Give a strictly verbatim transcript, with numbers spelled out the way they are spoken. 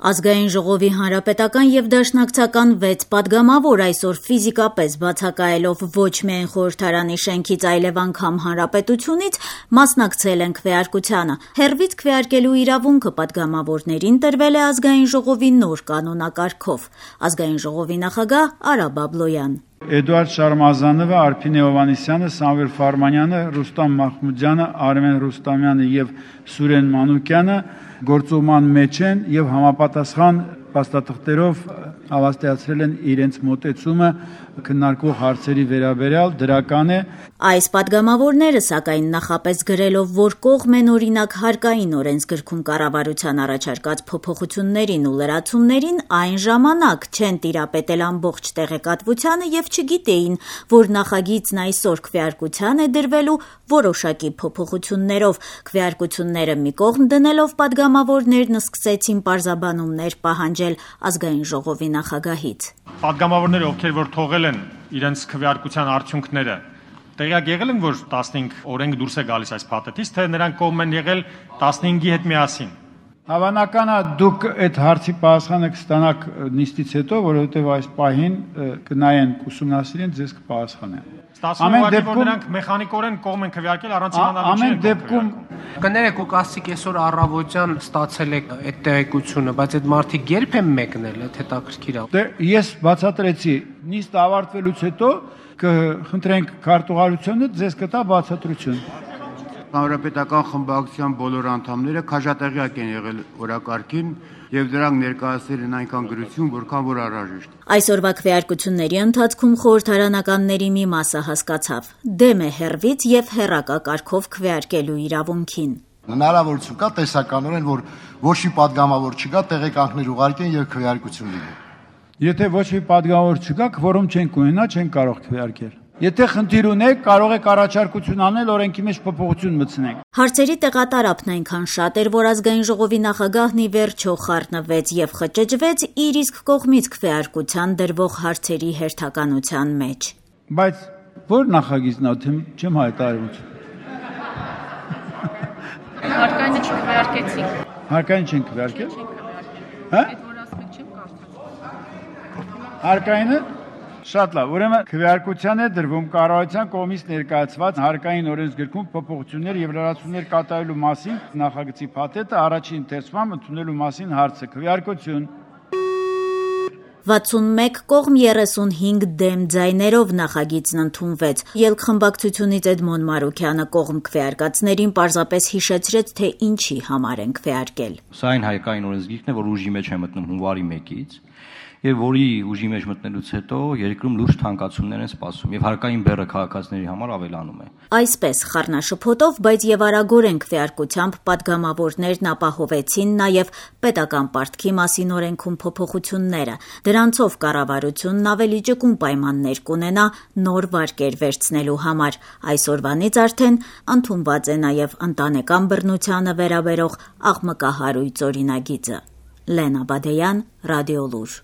Ազգային ժողովի հանրապետական եւ դաշնակցական վեց պատգամավոր այսօր ֆիզիկապես բացակայելով ոչ միայն խորհրդարանի շենքից, այլև անգամ հանրապետությունից մասնակցել են քվեարկությանը։ Հեռվից քվեարկելու իրավունքը պատգամավորներին տրվել է ազգային ժողովի նոր կանոնակարգով։ Ազգային ժողովի նախագահ Արա Բաբլոյան։ Էդուարդ Շարմազանովը, Արփինե Հովհաննիսյանը, Սամվել Ֆարմանյանը, Ռուստամ Մախմուդյանը, Արմեն Ռուստամյանը եւ Սուրեն Մանուկյանը գործողման մեջ են եւ համապատասխան փաստաթղթերով հավաստիացրել են իրենց մոտեցումը քննարկվող հարցերի վերաբերյալ դրական է։ Այս պատգամավորները սակայն նախապես գրելով, որ կողմ են օրինակ հարկային օրենսգրքում կառավարության առաջարկած փոփոխություններին ու լրացումներին, այն ժամանակ չեն տիրապետել ամբողջ տեղեկատվությանը եւ չգիտեին, որ նախագիծն այսօր քվեարկության է դրվելու որոշակի փոփոխություններով։ Քվեարկությունները մի կողմ դնելով պատգամավորներն սկսեցին պարզաբանումներ պահանջել ազգային ժողովի նախագահից։ Պատգամավորները, ովքեր որ թողել են իրենց քվեարկության արդյունքները, տեղյակ եղել են, որ տասնհինգ օրենք դուրս է գալիս այս փաթեթից, թե նրանք կողմ են եղել տասնհինգի հետ միասին։ Հավանական է դուք այդ հարցի պատասխանը կստանաք նիստից հետո, որովհետև այս պահին կնայեն, կուսումնասիրեն, ձեզ կպատասխանեն։ Ամեն դեպքում նրանք մեխանիկորեն կողմ են քվեարկել առանց իմանալու ամեն դեպքում կներեք ու կասիկ այսօր առավոտյան ստացել եք այդ տեղեկությունը, բայց այդ մարդիկ երբ են մեկնել, այդ հետաքրքիր է։ Դե ես բացատրեցի, նիստը ավարտվելուց հետո կխնդրենք քարտուղարությունը ձեզ կտա բացատրություն։ Հանրապետական խմբակցության բոլոր անդամները քաջատեղյակ են եղել օրակարգին եւ դրանք ներկայացրել են այնքան գրություն, որքան որ անհրաժեշտ։ Այսօրվա քվեարկությունների ընթացքում խորհրդարանականների մի մասը հասկացավ՝ դեմ է հեռվից եւ հեռակա կարգով քվեարկելու իրավունքին։ Հնարավորություն կա տեսականորեն, որ ոչ մի պատգամավոր չկա, տեղեկանքներ ուղարկեն եւ քվեարկություն լինի։ Եթե ոչ մի պատգամավոր չկա, քվորում չենք ունենա, չենք կարող քվեարկել։ Եթե խնդիր ունեք, կարող եք առաջարկություն անել, օրենքի մեջ փոփոխություն մտցնենք։ Հարցերի տեղատարափն այնքան շատ էր, որ ազգային ժողովի նախագահն ի վերջո խառնվեց եւ խճճվեց իր իսկ կողմից քվեարկության դրվող հարցերի հերթականության մեջ։ Բայց ո՞ր նախագիծն է, չեմ հայտարարում։ Հարկայինը չքվեարկեցիք։ Հարկային չեն քվեարկել։ Հա՞։ Այդ որ ասում եք չեմ կարծում։ Հարկայինը շատ լավ, ուրեմն քվեարկության է դրվում կառավարության կողմից ներկայացված հարկային օրենսգրքում փոփոխություններ եւ լրացումներ կատարելու մասին նախագծի փաթեթը առաջին ընթերցման ընդունելու մասին հարցը քվեարկություն։ վաթսունմեկ կողմ երեսունհինգ դեմ ձայներով նախագիծն ընդունվեց։ Ելքխմբակցությունից Էդմոն Մարուքյանը կողմ քվեարկածներին պարզապես հիշեցրեց, թե ինչի համար են քվեարկել։ Սա այն հայկային օրենսգիրքն է, որ ուժի մեջ է մտնում հունվարի մեկից, եւ որի ուժի մեջ մտնելուց հետո երկրում լուրջ թանկացումներ են սպասում եւ հարկային բեռը քաղաքացիների համար ավելանում է։ Այսպես խառնաշփոթով, բայց եւ արագորեն քվեարկությամբ պատգամավորներն ապահովեցին նաեւ պետական պարտքի մասին օրենքում փոփոխությունները։ Դրանցով կառավարությունն ավելի ճկուն պայմաններ կունենա նոր վարկեր վերցնելու համար։ Այսօրվանից արդեն ընդունված է նաեւ ընտանեկան բռնությանը վերաբերող աղմկահարույց օրինագիծը։ Լենա Բադեյան, Ռադիոլուր։